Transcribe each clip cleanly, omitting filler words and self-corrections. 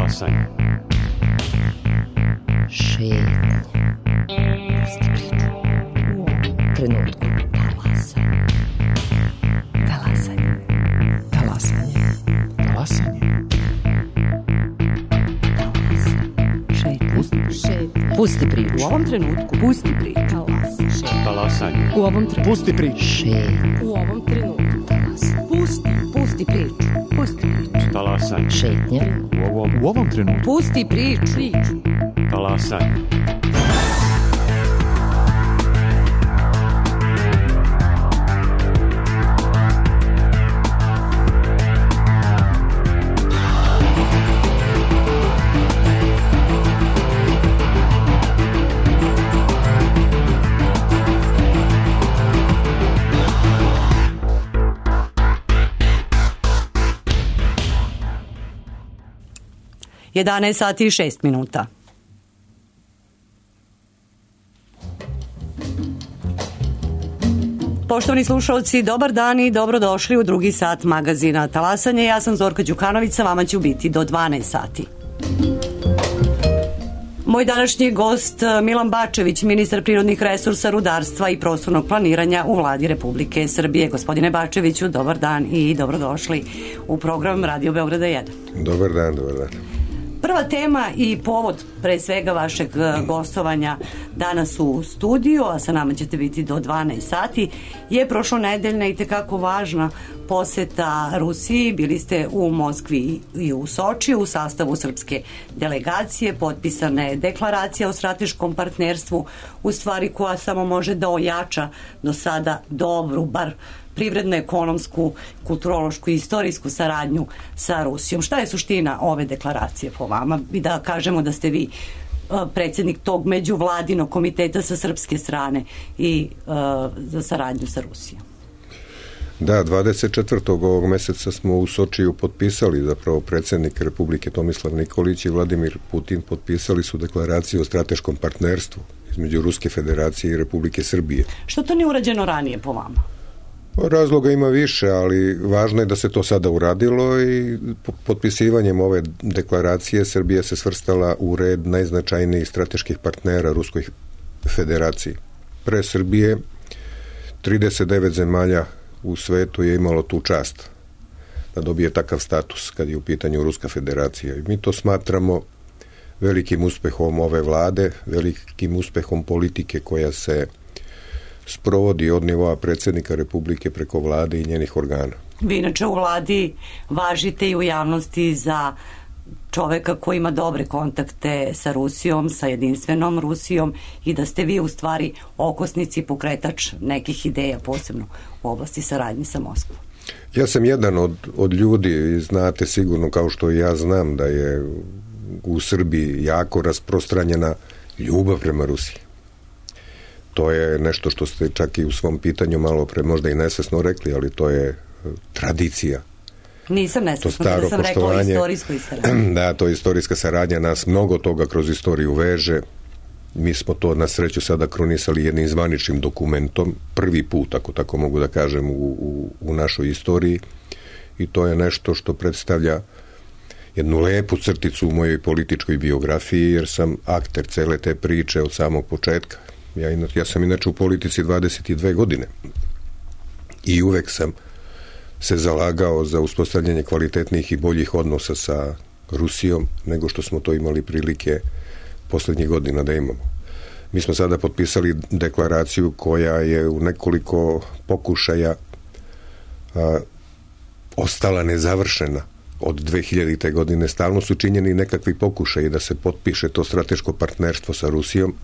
Talasanje. Šetnje. Pusti priču. U ovom trenutku. Talasanje. Talasanje. Talasanje. Pusti priču. U ovom trenutku. Pusti priču. Talasanje. U ovom trenutku. Pusti priču. U ovom trenutku. Pusti priču. Pusti priču. Talasanje. Šetnje. U ovom trenutku. Pusti priču. Talasanje. Jedanaest sati i 6 minuta. Poštovani slušalci, dobar dan i dobrodošli u drugi sat magazina Talasanje. Ja sam Zorka Đukanović, sa vama ću biti do 12 sati. Moj današnji gost Milan Bačević, ministar prirodnih resursa, rudarstva i prostornog planiranja u Vladi Republike Srbije. Gospodine Bačeviću, dobar dan i dobrodošli u program Radio Beograda 1. Dobar dan, dobar dan. Prva tema i povod pre svega vašeg gostovanja danas u studiju, a sa nama ćete biti do 12 sati, je prošlonedeljna i tekako važna poseta Rusiji. Bili ste u Moskvi i u Sočiju u sastavu srpske delegacije, potpisana je deklaracija o strateškom partnerstvu, u stvari koja samo može da ojača do sada dobru, bar privredno, ekonomsku, kulturološku i istorijsku saradnju sa Rusijom. Šta je suština ove deklaracije po vama? I da kažemo da ste vi predsjednik tog međuvladinog komiteta sa srpske strane i za saradnju sa Rusijom. Da, 24. ovog meseca smo u Sočiju potpisali, zapravo predsjednik Republike Tomislav Nikolić i Vladimir Putin potpisali su deklaraciju o strateškom partnerstvu između Ruske federacije i Republike Srbije. Što to nije urađeno ranije po vama? Razloga ima više, ali važno je da se to sada uradilo i potpisivanjem ove deklaracije Srbija se svrstala u red najznačajnijih strateških partnera Ruskoj federaciji. Pre Srbije 39 zemalja u svetu je imalo tu čast da dobije takav status kad je u pitanju Ruska federacija. I mi to smatramo velikim uspehom ove vlade, velikim uspehom politike koja se sprovodi od nivoa predsjednika Republike preko vlade i njenih organa. Vi inače u vladi važite i u javnosti za čoveka koji ima dobre kontakte sa Rusijom, sa jedinstvenom Rusijom i da ste vi u stvari okosnici, pokretač nekih ideja, posebno u oblasti saradnje sa Moskvom. Ja sam jedan od ljudi, znate sigurno kao što i ja znam da je u Srbiji jako rasprostranjena ljubav prema Rusiji. To je nešto što ste čak i u svom pitanju malo pre možda i nesvesno rekli, ali to je tradicija. Nisam nesvesno, da sam rekla o istorijskoj saradnji. Da, to je istorijska saradnja, nas mnogo toga kroz istoriju veže. Mi smo to na sreću sada kronisali jednim zvaničnim dokumentom, prvi put, ako tako mogu da kažem, u našoj istoriji, i to je nešto što predstavlja jednu lepu crticu u mojoj političkoj biografiji, jer sam akter cele te priče od samog početka. Ja sam inače u politici 22 godine i uvek sam se zalagao za uspostavljanje kvalitetnih i boljih odnosa sa Rusijom nego što smo to imali prilike poslednjih godina da imamo. Mi smo sada potpisali deklaraciju koja je u nekoliko pokušaja ostala nezavršena od 2000. godine. Stalno su činjeni nekakvi pokušaji da se potpiše to strateško partnerstvo sa Rusijom.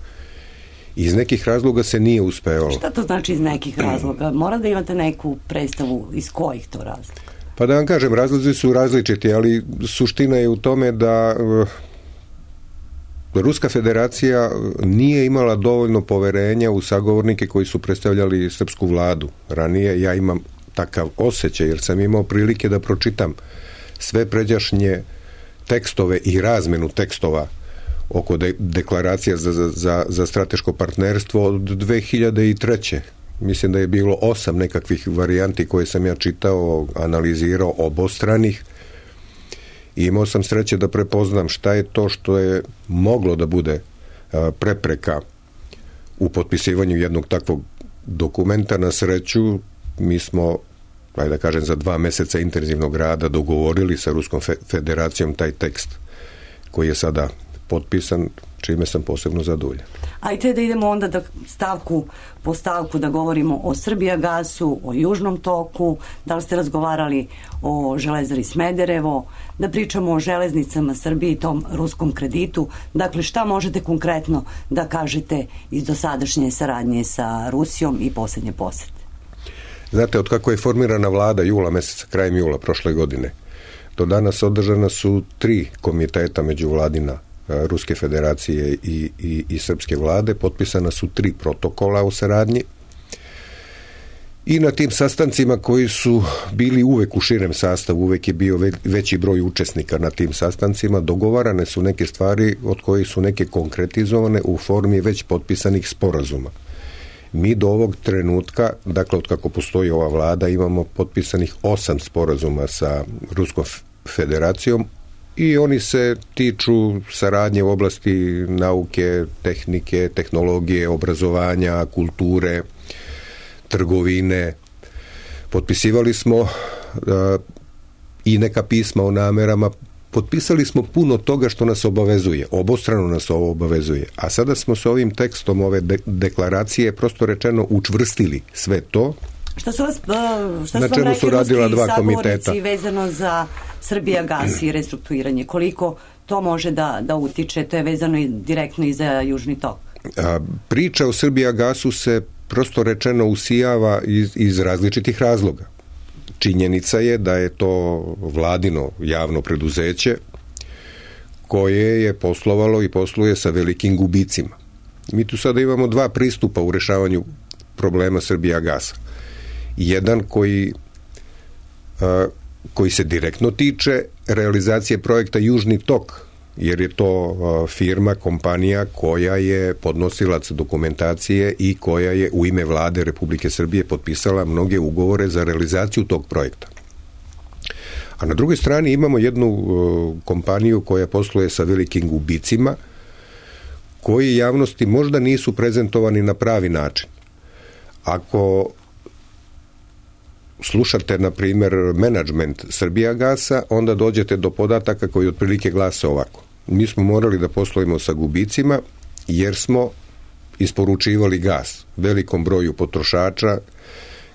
Iz nekih razloga se nije uspeo. Šta to znači iz nekih razloga? Mora da imate neku predstavu iz kojih to razloga? Pa da vam kažem, razlozi su različiti, ali suština je u tome da Ruska federacija nije imala dovoljno poverenja u sagovornike koji su predstavljali srpsku vladu. Ranije ja imam takav osjećaj, jer sam imao prilike da pročitam sve pređašnje tekstove i razmenu tekstova oko deklaracija za strateško partnerstvo od 2003. Mislim da je bilo 8 nekakvih varijanti koje sam ja čitao, analizirao, obostranih. I imao sam sreće da prepoznam šta je to što je moglo da bude prepreka u potpisivanju jednog takvog dokumenta. Na sreću, mi smo, da kažem, za 2 meseca intenzivnog rada dogovorili sa Ruskom federacijom taj tekst koji je sada potpisan, čime sam posebno zadovoljan. Ajde da idemo onda da stavku po stavku da govorimo o Srbijagasu, o Južnom toku, da li ste razgovarali o Železari Smederevo, da pričamo o železnicama Srbije i tom ruskom kreditu. Dakle, šta možete konkretno da kažete iz dosadašnje saradnje sa Rusijom i posljednje posete? Znate, od kako je formirana vlada jula meseca, krajem jula prošle godine, do danas održana su 3 komiteta međuvladina Ruske federacije i srpske vlade, potpisana su 3 protokola o saradnji i na tim sastancima koji su bili uvek u širem sastavu, uvek je bio veći broj učesnika na tim sastancima, dogovarane su neke stvari od kojih su neke konkretizovane u formi već potpisanih sporazuma. Mi do ovog trenutka, dakle od kako postoji ova vlada, imamo potpisanih 8 sporazuma sa Ruskom federacijom i oni se tiču saradnje u oblasti nauke, tehnike, tehnologije, obrazovanja, kulture, trgovine. Potpisivali smo i neka pisma o namerama, potpisali smo puno toga što nas obavezuje, obostrano nas ovo obavezuje, a sada smo s ovim tekstom ove deklaracije prosto rečeno učvrstili sve to. Šta su vam rekli ruski sagovornici vezano za Srbijagas i restrukturiranje? Koliko to može da utiče? To je vezano i direktno i za Južni tok. Priča o Srbijagasu se prosto rečeno usijava iz različitih razloga. Činjenica je da je to vladino javno preduzeće koje je poslovalo i posluje sa velikim gubicima. Mi tu sada imamo 2 pristupa u rešavanju problema Srbijagasa. Jedan koji se direktno tiče realizacije projekta Južni tok, jer je to firma, kompanija koja je podnosilac dokumentacije i koja je u ime vlade Republike Srbije potpisala mnoge ugovore za realizaciju tog projekta. A na drugoj strani imamo jednu kompaniju koja posluje sa velikim gubicima, koji javnosti možda nisu prezentovani na pravi način. Ako slušate, na primjer, menadžment Srbijagasa, onda dođete do podataka koji otprilike glase ovako. Mi smo morali da poslujemo sa gubicima jer smo isporučivali gas velikom broju potrošača,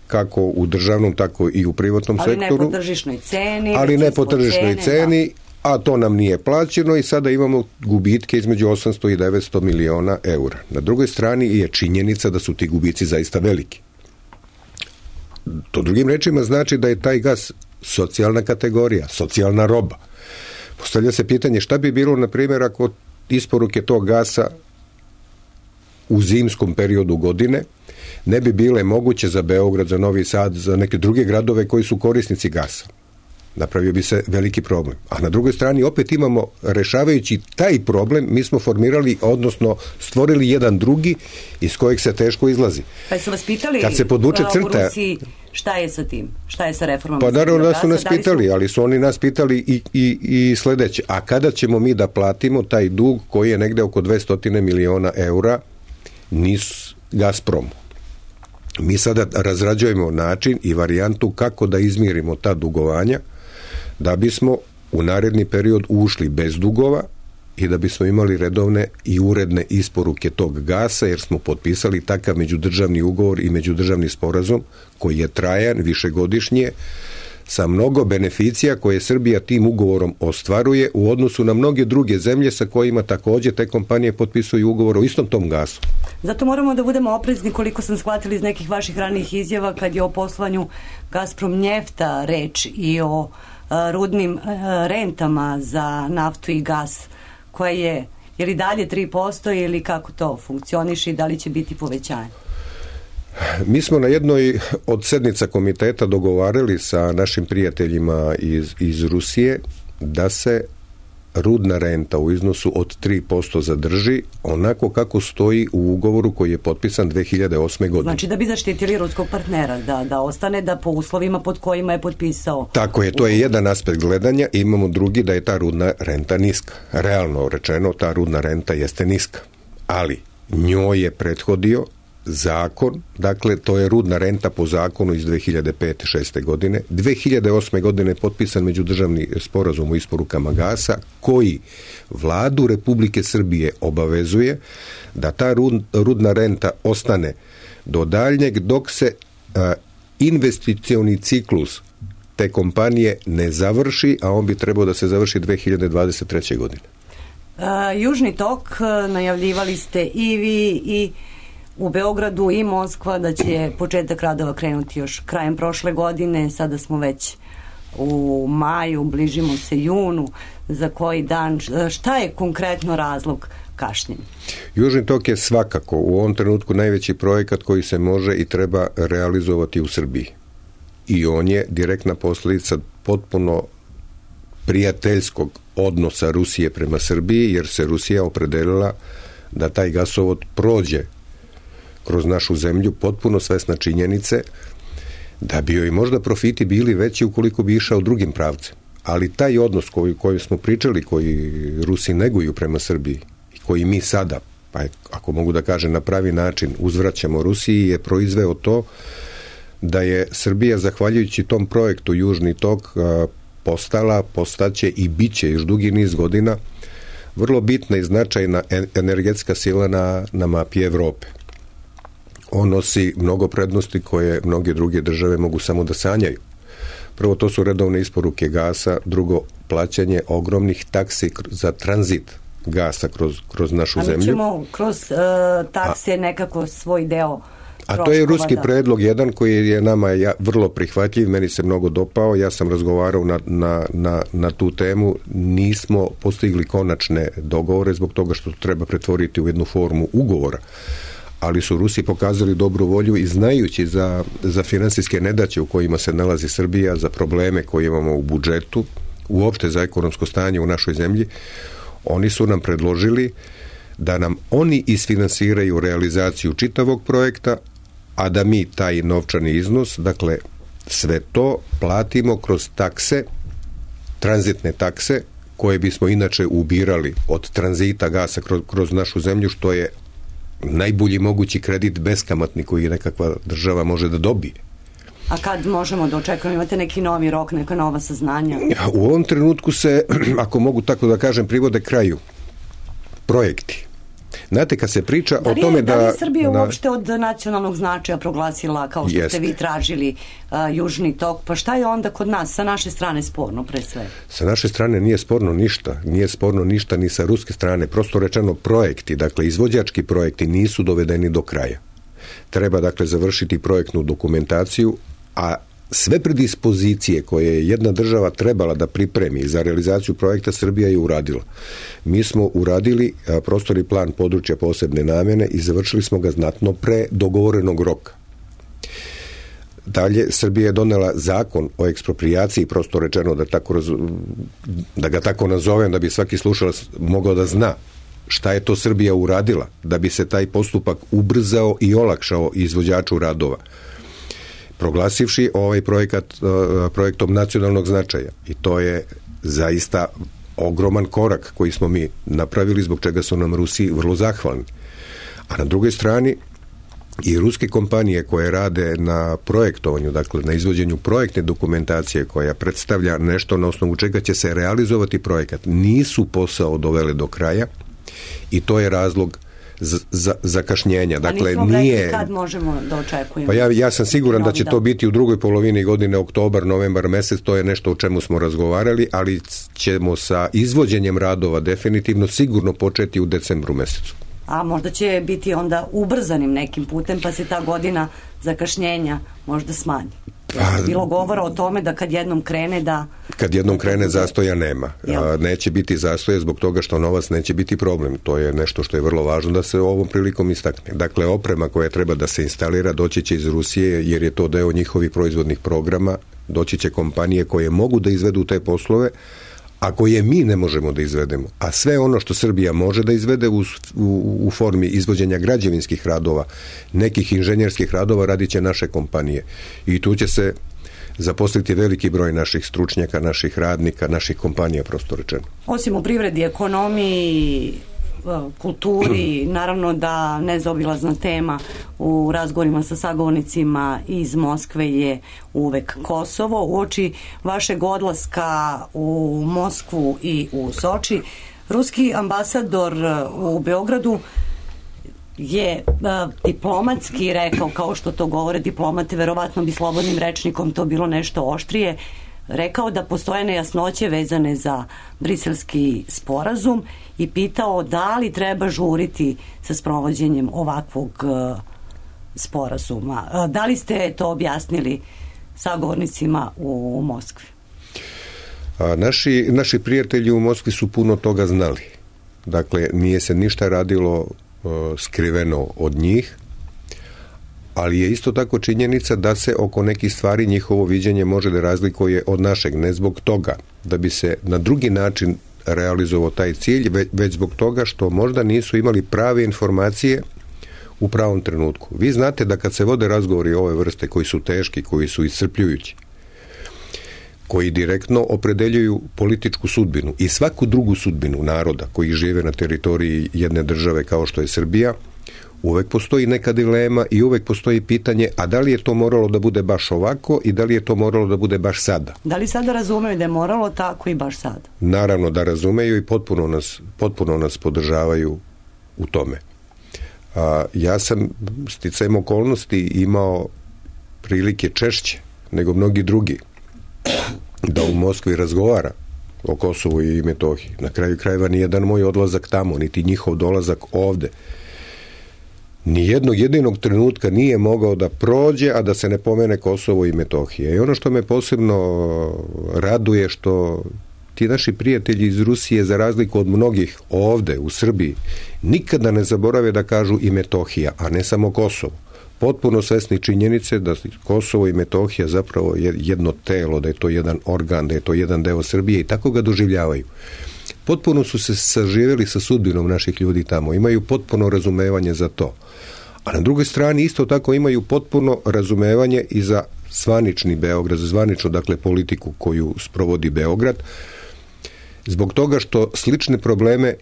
kako u državnom, tako i u privatnom sektoru. Ali ne po tržišnoj ceni, a to nam nije plaćeno i sada imamo gubitke između 800 i 900 miliona eura. Na drugoj strani je činjenica da su ti gubici zaista veliki. To drugim rečima znači da je taj gas socijalna kategorija, socijalna roba. Postavlja se pitanje šta bi bilo, na primjer, ako isporuke tog gasa u zimskom periodu godine ne bi bile moguće za Beograd, za Novi Sad, za neke druge gradove koji su korisnici gasa. Napravio bi se veliki problem. A na drugoj strani opet imamo, rešavajući taj problem, mi smo formirali, odnosno stvorili jedan drugi iz kojeg se teško izlazi. Pa su vas pitali kad se podvuče crta, u Rusiji šta je sa tim? Šta je sa reformama? Pa naravno da su nas pitali, ali su oni nas pitali i sledeće. A kada ćemo mi da platimo taj dug koji je negde oko 200 miliona eura NIS Gazpromu? Mi sada razrađujemo način i varijantu kako da izmirimo ta dugovanja, da bismo u naredni period ušli bez dugova i da bismo imali redovne i uredne isporuke tog gasa, jer smo potpisali takav međudržavni ugovor i međudržavni sporazum koji je trajan, višegodišnje, sa mnogo beneficija koje Srbija tim ugovorom ostvaruje u odnosu na mnoge druge zemlje sa kojima također te kompanije potpisuju ugovor o istom tom gasu. Zato moramo da budemo oprezni, koliko sam shvatila iz nekih vaših ranijih izjava, kad je o poslovanju Gazprom Njefta reč i o rudnim rentama za naftu i gas, koja je li dalje 3% ili kako to funkcioniše i da li će biti povećanje? Mi smo na jednoj od sednica komiteta dogovarali sa našim prijateljima iz Rusije da se rudna renta u iznosu od 3% zadrži onako kako stoji u ugovoru koji je potpisan 2008. godine. Znači da bi zaštitili ruskog partnera, da ostane da po uslovima pod kojima je potpisao. Tako je, to je jedan aspekt gledanja. Imamo drugi da je ta rudna renta niska. Realno rečeno, ta rudna renta jeste niska. Ali njoj je prethodio zakon, dakle to je rudna renta po zakonu iz 2005-2006. godine. 2008. godine je potpisan međudržavni sporazum o isporukama gasa koji vladu Republike Srbije obavezuje da ta rudna renta ostane do daljnjeg dok se investicioni ciklus te kompanije ne završi, a on bi trebao da se završi 2023. godine. Južni tok najavljivali ste i vi i u Beogradu i Moskva da će početak radova krenuti još krajem prošle godine. Sada smo već u maju, bližimo se junu, za koji dan. Šta je konkretno razlog kašnjenja? Južni tok je svakako u ovom trenutku najveći projekat koji se može i treba realizovati u Srbiji. I on je direktna posljedica potpuno prijateljskog odnosa Rusije prema Srbiji, jer se Rusija opredelila da taj gasovod prođe kroz našu zemlju, potpuno svesna činjenice da bi joj možda profiti bili veći ukoliko bi išao drugim pravcem. Ali taj odnos koji smo pričali, koji Rusi neguju prema Srbiji i koji mi sada, pa ako mogu da kažem na pravi način, uzvraćamo Rusiji, je proizveo da je Srbija, zahvaljujući tom projektu Južni tok, postaće i bit će još dugi niz godina vrlo bitna i značajna energetska sila na mapi Evrope. On nosi mnogo prednosti koje mnoge druge države mogu samo da sanjaju. Prvo, to su redovne isporuke gasa, drugo, plaćanje ogromnih taksi za tranzit gasa kroz našu zemlju. A mi ćemo kroz takse nekako svoj deo troškova. A to je ruski predlog jedan koji je nama vrlo prihvatljiv, meni se mnogo dopao, ja sam razgovarao na tu temu, nismo postigli konačne dogovore zbog toga što treba pretvoriti u jednu formu ugovora. Ali su Rusi pokazali dobru volju i znajući za finansijske nedaće u kojima se nalazi Srbija, za probleme koje imamo u budžetu, uopšte za ekonomsko stanje u našoj zemlji, oni su nam predložili da nam oni isfinansiraju realizaciju čitavog projekta, a da mi taj novčani iznos, dakle sve to platimo kroz takse, tranzitne takse, koje bismo inače ubirali od tranzita gasa kroz našu zemlju, što je najbolji mogući kredit beskamatni koji nekakva država može da dobije. A kad možemo da očekujemo? Imate neki novi rok, neka nova saznanja? U ovom trenutku se, ako mogu tako da kažem, privode kraju projekti. Znate, kad se priča o tome da li je Srbija uopšte od nacionalnog značaja proglasila, kao što ste vi tražili, Južni tok, pa šta je onda kod nas, sa naše strane sporno pre sve? Sa naše strane nije sporno ništa ni sa ruske strane, prosto rečeno projekti, dakle izvođački projekti nisu dovedeni do kraja. Treba dakle završiti projektnu dokumentaciju, a sve predispozicije koje je jedna država trebala da pripremi za realizaciju projekta Srbija je uradila. Mi smo uradili prostorni plan područja posebne namjene i završili smo ga znatno pre dogovorenog roka. Dalje, Srbija je donela zakon o eksproprijaciji, prosto rečeno da ga tako nazovem, da bi svaki slušalac mogao da zna šta je to Srbija uradila, da bi se taj postupak ubrzao i olakšao izvođaču radova, proglasivši ovaj projektom nacionalnog značaja. I to je zaista ogroman korak koji smo mi napravili, zbog čega su nam Rusi vrlo zahvalni. A na drugoj strani i ruske kompanije koje rade na projektovanju, dakle na izvođenju projektne dokumentacije koja predstavlja nešto na osnovu čega će se realizovati projekat, nisu posao dovele do kraja i to je razlog zakašnjenja. Dakle, nije... Kad možemo da očekujemo? Pa ja sam siguran da će to biti u drugoj polovini godine, oktobar, novembar mesec, to je nešto o čemu smo razgovarali, ali ćemo sa izvođenjem radova definitivno sigurno početi u decembru mesecu. A možda će biti onda ubrzanim nekim putem, pa se ta godina zakašnjenja možda smanji. Bilo govora o tome da kad jednom krene Kad jednom krene zastoja nema. Neće biti zastoja zbog toga što novac neće biti problem. To je nešto što je vrlo važno da se ovom prilikom istakne. Dakle, oprema koja treba da se instalira doći će iz Rusije jer je to deo njihovih proizvodnih programa. Doći će kompanije koje mogu da izvedu te poslove, ako je mi ne možemo da izvedemo, a sve ono što Srbija može da izvede u formi izvođenja građevinskih radova, nekih inženjerskih radova, radit će naše kompanije. I tu će se zaposliti veliki broj naših stručnjaka, naših radnika, naših kompanija, prosto rečeno. Osim u privredi, ekonomiji, kulturi, naravno da nezaobilazna tema u razgovorima sa sagovornicima iz Moskve je uvek Kosovo. Uoči vašeg odlaska u Moskvu i u Soči, ruski ambasador u Beogradu je diplomatski rekao, kao što to govore diplomate, verovatno bi slobodnim rečnikom to bilo nešto oštrije, rekao da postoje nejasnoće vezane za briselski sporazum i pitao da li treba žuriti sa sprovođenjem ovakvog sporazuma. Da li ste to objasnili sagovornicima u Moskvi? Naši prijatelji u Moskvi su puno toga znali. Dakle, nije se ništa radilo skriveno od njih, ali je isto tako činjenica da se oko nekih stvari njihovo viđenje može da razlikuje od našeg, ne zbog toga da bi se na drugi način realizovao taj cilj, već zbog toga što možda nisu imali prave informacije u pravom trenutku. Vi znate da kad se vode razgovori ove vrste koji su teški, koji su iscrpljujući, koji direktno opredeljuju političku sudbinu i svaku drugu sudbinu naroda koji žive na teritoriji jedne države kao što je Srbija, uvek postoji neka dilema i uvek postoji pitanje, a da li je to moralo da bude baš ovako i da li je to moralo da bude baš sada? Da li sada razumeju da je moralo tako i baš sada? Naravno da razumeju i potpuno nas podržavaju u tome. Ja sam sticajem okolnosti imao prilike češće nego mnogi drugi da u Moskvi razgovara o Kosovu i Metohiji. Na kraju krajeva nijedan moj odlazak tamo, niti njihov dolazak ovde, nijednog jedinog trenutka nije mogao da prođe, a da se ne pomene Kosovo i Metohija. I ono što me posebno raduje, što ti naši prijatelji iz Rusije, za razliku od mnogih ovde u Srbiji, nikada ne zaborave da kažu i Metohija, a ne samo Kosovo. Potpuno svesni činjenice da Kosovo i Metohija zapravo je jedno telo, da je to jedan organ, da je to jedan deo Srbije i tako ga doživljavaju. Potpuno su se saživjeli sa sudbinom naših ljudi tamo, imaju potpuno razumevanje za to. A na drugoj strani isto tako imaju potpuno razumevanje i za zvanični Beograd, za zvaničnu, dakle, politiku koju sprovodi Beograd, zbog toga što slične probleme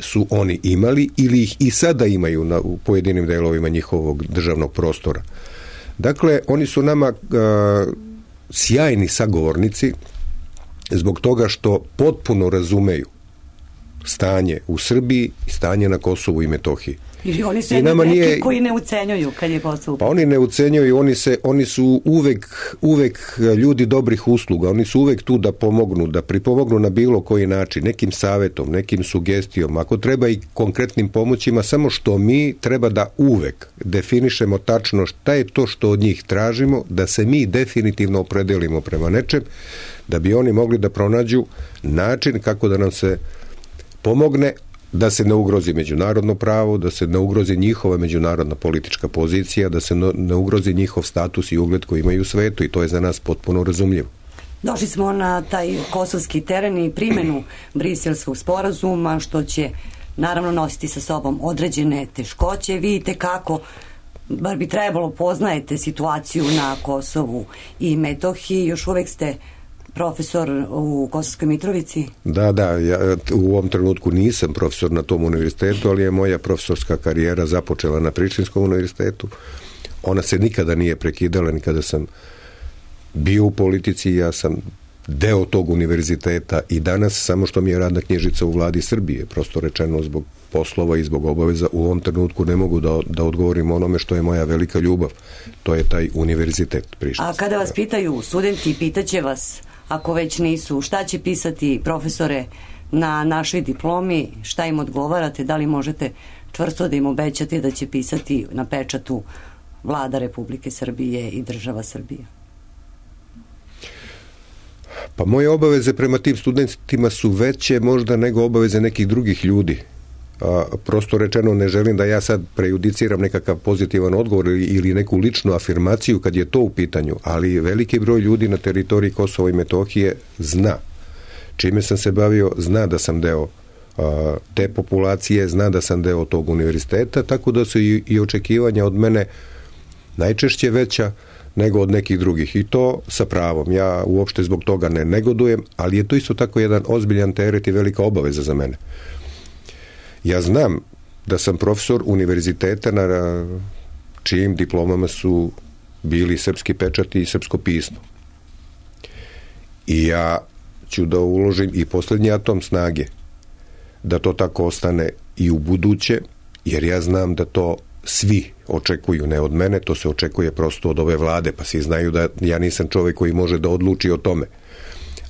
su oni imali ili ih i sada imaju u pojedinim delovima njihovog državnog prostora. Dakle, oni su nama sjajni sagovornici zbog toga što potpuno razumeju stanje u Srbiji i stanje na Kosovu i Metohiji. I oni su neki koji ne ucenjuju kad je Kosovo. Pa oni ne ucenjuju, oni su uvek ljudi dobrih usluga, oni su uvek tu da pomognu, da pripomognu na bilo koji način, nekim savetom, nekim sugestijom, ako treba i konkretnim pomoćima, samo što mi treba da uvek definišemo tačno šta je to što od njih tražimo, da se mi definitivno opredelimo prema nečem, da bi oni mogli da pronađu način kako da nam se pomogne, da se ne ugrozi međunarodno pravo, da se ne ugrozi njihova međunarodna politička pozicija, da se ne ugrozi njihov status i ugled koji imaju u svetu, i to je za nas potpuno razumljivo. Došli smo na taj kosovski teren i primjenu Briselskog sporazuma, što će naravno nositi sa sobom određene teškoće. Vidite kako, bar bi trebalo, poznajete situaciju na Kosovu i Metohiji, još uvek ste profesor u Kosovskoj Mitrovici? Da, ja u ovom trenutku nisam profesor na tom univerzitetu, ali je moja profesorska karijera započela na Prištinskom univerzitetu. Ona se nikada nije prekidala, nikada sam bio u politici, ja sam deo tog univerziteta i danas, samo što mi je radna knjižica u vladi Srbije, prosto rečeno zbog poslova i zbog obaveza, u ovom trenutku ne mogu da odgovorim onome što je moja velika ljubav. To je taj univerzitet Prištinski. A kada vas pitaju studenti, pitaće vas, ako već nisu, šta će pisati profesore na našoj diplomi, šta im odgovarate, da li možete čvrsto da im obećate da će pisati na pečatu Vlada Republike Srbije i država Srbije? Pa moje obaveze prema tim studentima su veće možda nego obaveze nekih drugih ljudi. Prosto rečeno, ne želim da ja sad prejudiciram nekakav pozitivan odgovor ili neku ličnu afirmaciju kad je to u pitanju, ali veliki broj ljudi na teritoriji Kosova i Metohije zna čime sam se bavio, zna da sam deo te populacije, zna da sam deo tog univerziteta, tako da su i očekivanja od mene najčešće veća nego od nekih drugih. I to sa pravom. Ja uopšte zbog toga ne negodujem, ali je to isto tako jedan ozbiljan teret i velika obaveza za mene. Ja znam da sam profesor univerziteta na čijim diplomama su bili srpski pečati i srpsko pismo. I ja ću da uložim i posljednji atom snage da to tako ostane i u buduće, jer ja znam da to svi očekuju, ne od mene, to se očekuje prosto od ove vlade, pa svi znaju da ja nisam čovjek koji može da odluči o tome.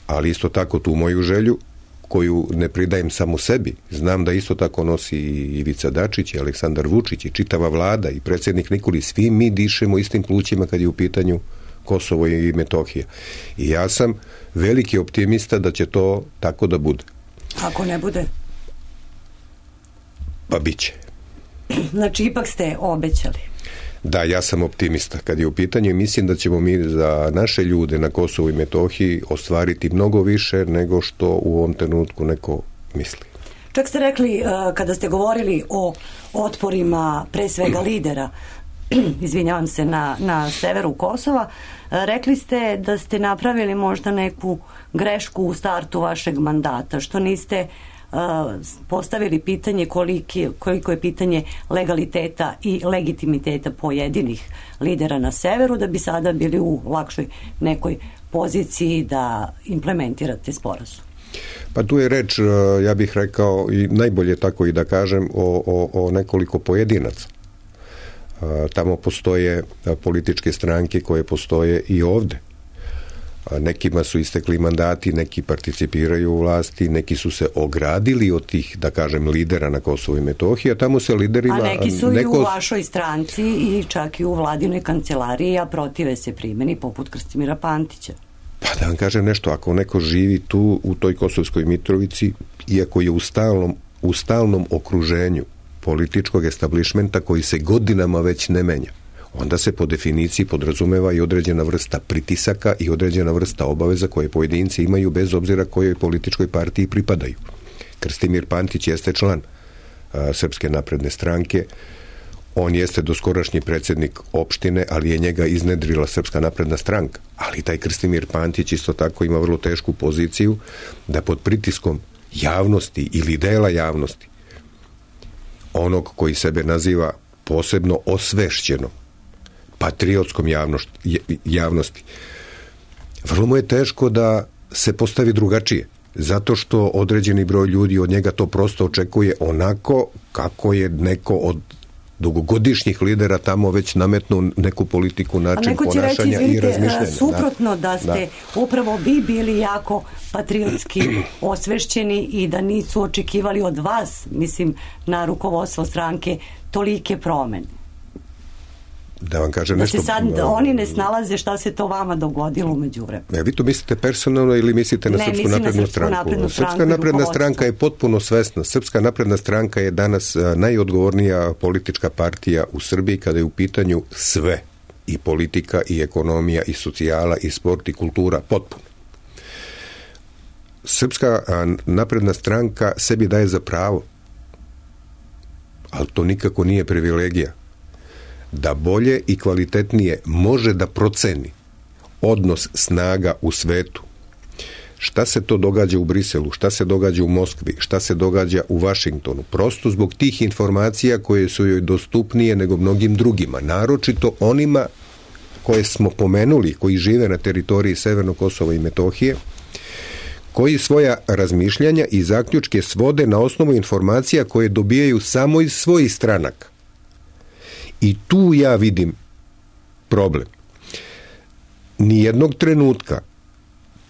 Ali isto tako tu moju želju, koju ne pridajem samo sebi, znam da isto tako nosi i Ivica Dačić, i Aleksandar Vučić, i čitava vlada, i predsjednik Nikolić, svi mi dišemo istim plućima kad je u pitanju Kosovo i Metohija. I ja sam veliki optimista da će to tako da bude. Ako ne bude? Pa bit će. Znači, ipak ste obećali. Da, ja sam optimista kad je u pitanju i mislim da ćemo mi za naše ljude na Kosovu i Metohiji ostvariti mnogo više nego što u ovom trenutku neko misli. Čak ste rekli, kada ste govorili o otporima pre svega lidera, izvinjavam se, na severu Kosova, rekli ste da ste napravili možda neku grešku u startu vašeg mandata, što niste postavili pitanje koliko je pitanje legaliteta i legitimiteta pojedinih lidera na severu, da bi sada bili u lakšoj nekoj poziciji da implementirate sporazum. Pa tu je reč, ja bih rekao, i najbolje tako i da kažem, o nekoliko pojedinaca. Tamo postoje političke stranke koje postoje i ovde. Nekima su istekli mandati, neki participiraju u vlasti, neki su se ogradili od tih, da kažem, lidera na Kosovu i Metohiji, a tamo se liderima... A neki su i u vašoj stranci i čak i u vladinoj kancelariji, a protive se primjeni poput Krstimira Pantića. Pa da vam kažem nešto, ako neko živi tu u toj Kosovskoj Mitrovici, iako je u stalnom okruženju političkog establišmenta koji se godinama već ne menja, onda se po definiciji podrazumeva i određena vrsta pritisaka i određena vrsta obaveza koje pojedinci imaju bez obzira kojoj političkoj partiji pripadaju. Krstimir Pantić jeste član Srpske napredne stranke, on jeste doskorašnji predsjednik opštine, ali je njega iznedrila Srpska napredna stranka. Ali taj Krstimir Pantić isto tako ima vrlo tešku poziciju da pod pritiskom javnosti ili dela javnosti, onog koji sebe naziva posebno osvešćeno patriotskom javnosti, vrlo mu je teško da se postavi drugačije, zato što određeni broj ljudi od njega to prosto očekuje onako kako je neko od dugogodišnjih lidera tamo već nametnuo neku politiku, način ponašanja i razmišljanja. Suprotno da ste upravo vi bili jako patriotski osvešćeni i da nisu očekivali od vas, mislim, na rukovodstvo stranke, tolike promene. Da vam kažem nešto... Da se sad oni ne snalaze šta se to vama dogodilo umeđu vremenu. Vi to mislite personalno ili mislite na Srpsku naprednu stranku? Srpska napredna stranka je potpuno svesna. Srpska napredna stranka je danas najodgovornija politička partija u Srbiji kada je u pitanju sve. I politika, i ekonomija, i socijala, i sport, i kultura. Potpuno. Srpska napredna stranka sebi daje za pravo, ali to nikako nije privilegija, da bolje i kvalitetnije može da proceni odnos snaga u svetu. Šta se to događa u Briselu, šta se događa u Moskvi, šta se događa u Vašingtonu. Prosto zbog tih informacija koje su joj dostupnije nego mnogim drugima. Naročito onima koje smo pomenuli, koji žive na teritoriji Severnog Kosova i Metohije, koji svoja razmišljanja i zaključke svode na osnovu informacija koje dobijaju samo iz svojih stranaka. I tu ja vidim problem. Nijednog trenutka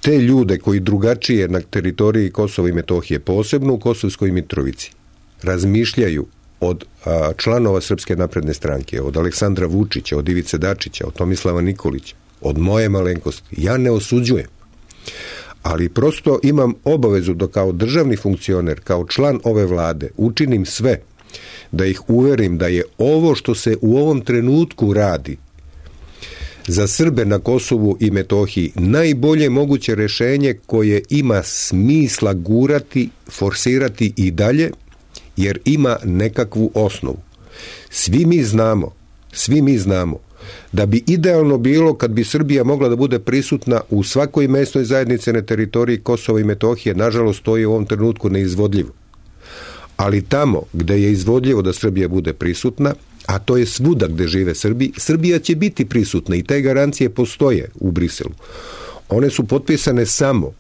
te ljude koji drugačije na teritoriji Kosova i Metohije, posebno u Kosovskoj Mitrovici, razmišljaju od članova Srpske napredne stranke, od Aleksandra Vučića, od Ivice Dačića, od Tomislava Nikolića, od moje malenkosti, ja ne osuđujem. Ali prosto imam obavezu da kao državni funkcioner, kao član ove vlade, učinim sve da ih uverim da je ovo što se u ovom trenutku radi za Srbe na Kosovu i Metohiji najbolje moguće rješenje koje ima smisla gurati, forsirati i dalje, jer ima nekakvu osnovu. Svi mi znamo da bi idealno bilo kad bi Srbija mogla da bude prisutna u svakoj mesnoj zajednici na teritoriji Kosova i Metohije. Nažalost, to je u ovom trenutku neizvodljivo. Ali tamo gde je izvodljivo da Srbija bude prisutna, a to je svuda gde žive Srbi, Srbija će biti prisutna i te garancije postoje u Briselu. One su potpisane samo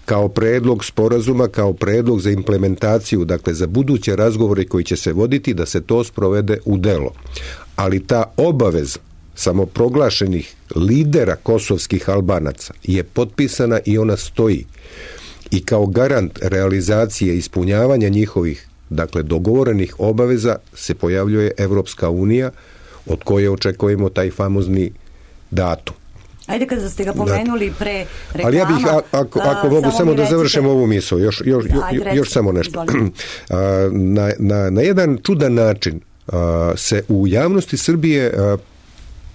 kao predlog sporazuma, kao predlog za implementaciju, dakle za buduće razgovore koji će se voditi, da se to sprovede u delo. Ali ta obaveza samoproglašenih lidera kosovskih Albanaca je potpisana i ona stoji. I kao garant realizacije ispunjavanja njihovih, dakle dogovorenih obaveza, se pojavljuje Evropska unija, od koje očekujemo taj famozni datum. Ajde, kada ste ga pomenuli pre reklama... Ali ja bih, ako mogu samo da završim ovu misao, još samo nešto. Na jedan čudan način se u javnosti Srbije,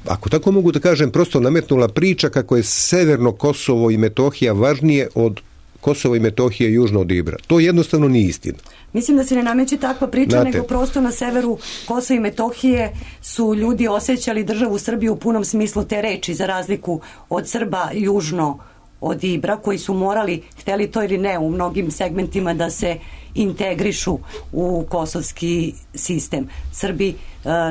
ako tako mogu da kažem, prosto nametnula priča kako je severno Kosovo i Metohija važnije od Kosovo i Metohije južno od Ibra. To jednostavno nije istina. Mislim da se ne nameće takva priča, nego prosto na severu Kosova i Metohije su ljudi osjećali državu Srbiju u punom smislu te reči, za razliku od Srba južno od Ibra, koji su morali, hteli to ili ne, u mnogim segmentima da se integrišu u kosovski sistem. Srbi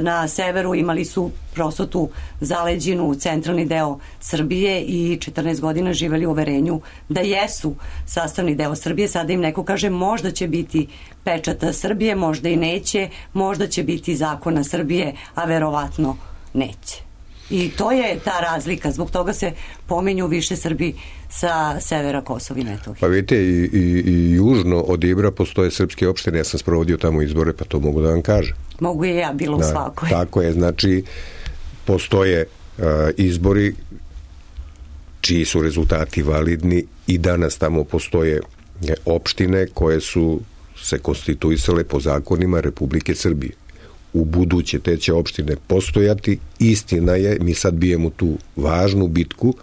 na severu imali su prosto tu zaleđinu, centralni deo Srbije i 14 godina živeli u uverenju da jesu sastavni deo Srbije. Sada im neko kaže možda će biti pečata Srbije, možda i neće, možda će biti zakona Srbije, a verovatno neće. I to je ta razlika, zbog toga se pominju više Srbi sa severa Kosova i Metohije. Pa vidite, i južno od Ibra postoje srpske opštine, ja sam sprovodio tamo izbore, pa to mogu da vam kažem. Mogu i ja, bilo u svakoj. Tako je, znači postoje izbori čiji su rezultati validni i danas tamo postoje opštine koje su se konstituisale po zakonima Republike Srbije. U buduće te će opštine postojati. Istina je, mi sad bijemo tu važnu bitku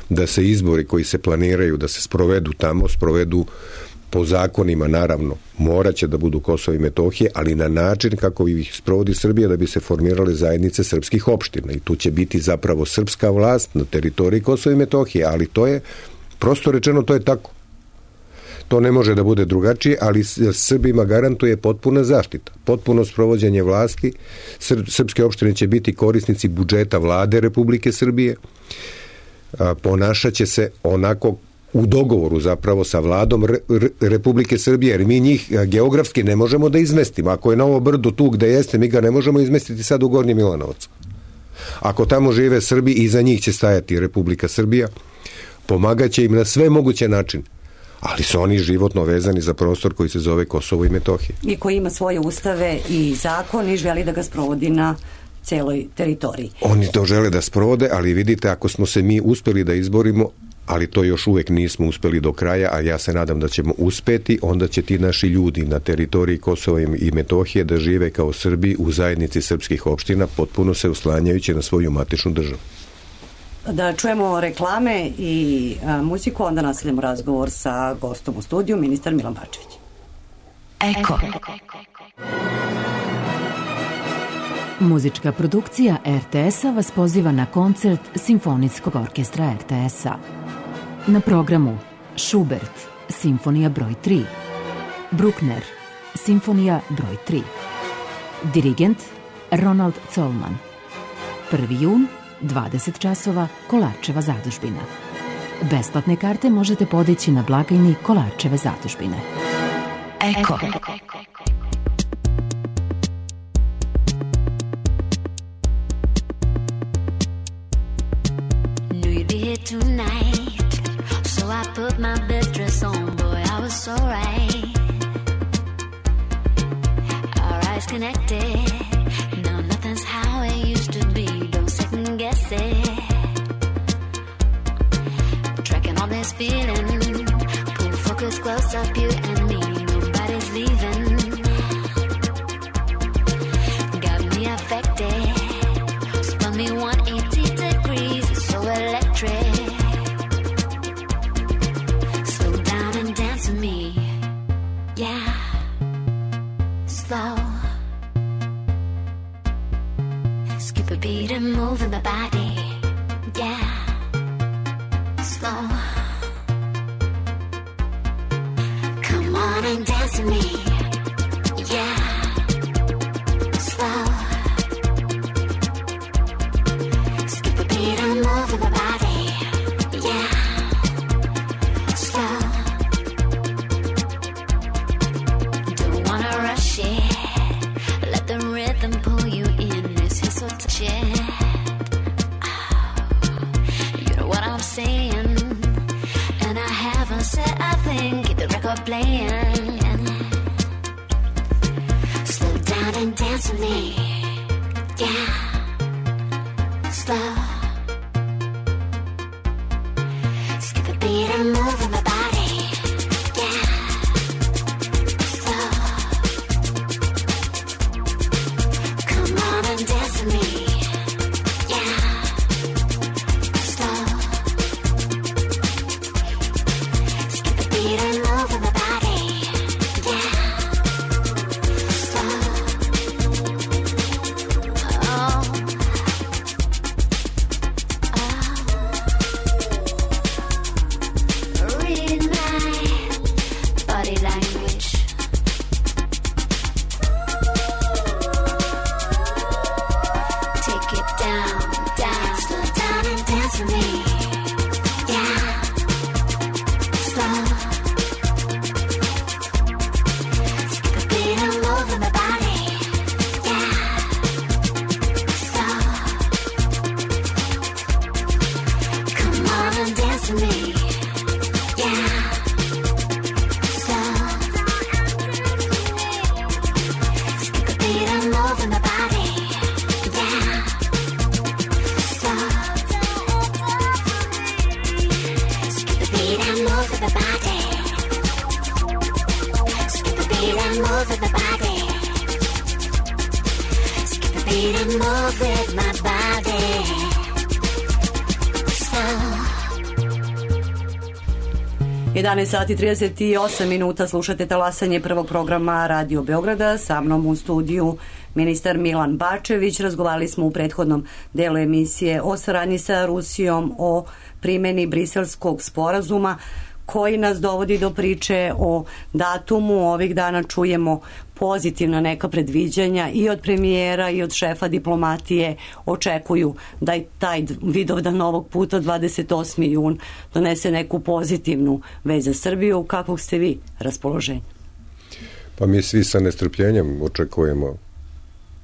da se izbori koji se planiraju da se sprovedu tamo, sprovedu po zakonima, naravno, morat će da budu Kosovo i Metohije, ali na način kako ih sprovodi Srbija, da bi se formirale zajednice srpskih opština. I tu će biti zapravo srpska vlast na teritoriji Kosova i Metohije, ali to je, prosto rečeno, to je tako. To ne može da bude drugačije, ali Srbima garantuje potpuna zaštita, potpuno sprovođenje vlasti. Srpske opštine će biti korisnici budžeta vlade Republike Srbije. Ponašat će se onako u dogovoru zapravo sa vladom Republike Srbije, jer mi njih geografski ne možemo da izmestimo. Ako je Novo Brdo tu gde jeste, mi ga ne možemo izmestiti sad u Gornji Milanovac. Ako tamo žive Srbi, iza njih će stajati Republika Srbija, pomagaće im na sve moguće načine. Ali su oni životno vezani za prostor koji se zove Kosovo i Metohija. I koji ima svoje ustave i zakon i želi da ga sprovodi na celoj teritoriji. Oni to žele da sprovode, ali vidite, ako smo se mi uspeli da izborimo, ali to još uvek nismo uspeli do kraja, a ja se nadam da ćemo uspeti, onda će ti naši ljudi na teritoriji Kosova i Metohije da žive kao Srbi u zajednici srpskih opština, potpuno se uslanjajući na svoju matičnu državu. Da čujemo reklame i muziku, onda nastavljamo razgovor sa gostom u studiju, ministar Milan Bačević. Eko. Muzička produkcija RTS-a vas poziva na koncert Simfonijskog orkestra RTS-a. Na programu Schubert, Simfonija broj 3, Bruckner, Simfonija broj 3, dirigent Ronald Zollman. 1. jun, 20 časova, Kolarčeva zadužbina. Besplatne karte možete podići na blagajni Kolarčeve zadužbine. Eko. Tonight, so I put my best dress on, boy, I was so right. Our eyes connected, no, nothing's how it used to be, don't second guess it. Tracking on this feeling, pull focus close up, you and me, nobody's leaving. Got me affected, spun me 180 degrees. on and dance with me. Yeah. Slow. Skip a beat and move with my body. Yeah. Slow. Don't wanna rush it. Let the rhythm pull you in. This is so touchy. You know what I'm saying? And I haven't said a thing. Keep the record playing. Slow down and dance with me. Yeah. Slow. Skip a beat and move with my body. Yeah. Slow. Come on and dance with me. Yeah. Slow. Skip a beat and move with my body. Yeah. Slow. Oh. Read my body language. Take it down, down. Slow down and dance with me. Yeah. Slow. Skip a beat and move with my body. Yeah. Slow. Come on and dance with me. Yeah. Slow. Skip a beat and move with my body. Yeah. Slow. Skip a beat and move with my body. Skip a beat and move with my body. Skip a beat and move with my body. Slow. 11 sati 38 minuta, slušate talasanje prvog programa Radio Beograda. Sa mnom u studiju ministar Milan Bačević. Razgovarali smo u prethodnom delu emisije o saradnji sa Rusijom, o primjeni Briselskog sporazuma koji nas dovodi do priče o datumu. Ovih dana čujemo pozitivna neka predviđanja i od premijera i od šefa diplomatije. Očekuju da i taj Vidovdan ovog puta 28. jun donese neku pozitivnu vez za Srbiju. Kakvog ste vi raspoloženja? Pa mi svi sa nestrpljenjem očekujemo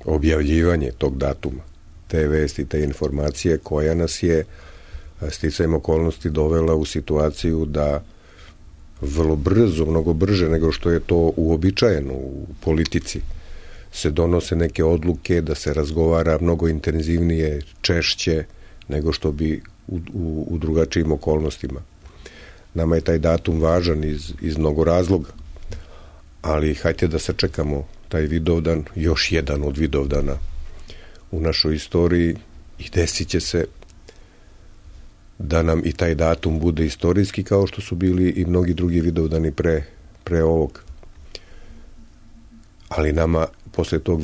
objavljivanje tog datuma, te vesti, te informacije koja nas je sticajem okolnosti dovela u situaciju da vrlo brzo, mnogo brže nego što je to uobičajeno u politici, se donose neke odluke, da se razgovara mnogo intenzivnije, češće nego što bi u drugačijim okolnostima. Nama je taj datum važan iz mnogo razloga, ali hajde da sačekamo taj Vidovdan, još jedan od Vidovdana u našoj istoriji, i desit će se da nam i taj datum bude istorijski, kao što su bili i mnogi drugi Vidovdani pre ovog. Ali nama posle tog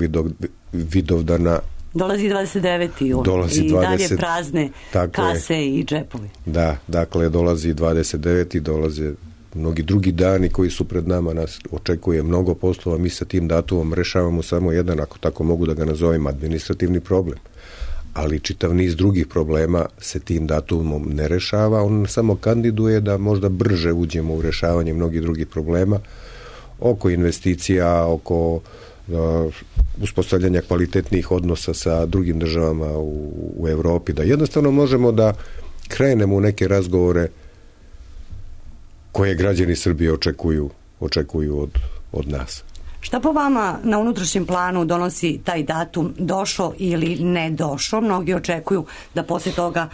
Vidovdana dolazi 29. jun i dalje prazne kase i džepovi. Da, dakle dolazi 29. dolaze mnogi drugi dani koji su pred nama, nas očekuje mnogo poslova. Mi sa tim datumom rešavamo samo jedan, ako tako mogu da ga nazovem, administrativni problem. Ali čitav niz drugih problema se tim datumom ne rešava, on samo kandiduje da možda brže uđemo u rešavanje mnogih drugih problema oko investicija, oko uspostavljanja kvalitetnih odnosa sa drugim državama u Evropi, da jednostavno možemo da krenemo u neke razgovore koje građani Srbije očekuju od nas. Šta po vama na unutrašnjem planu donosi taj datum, došao ili ne došao? Mnogi očekuju da posle toga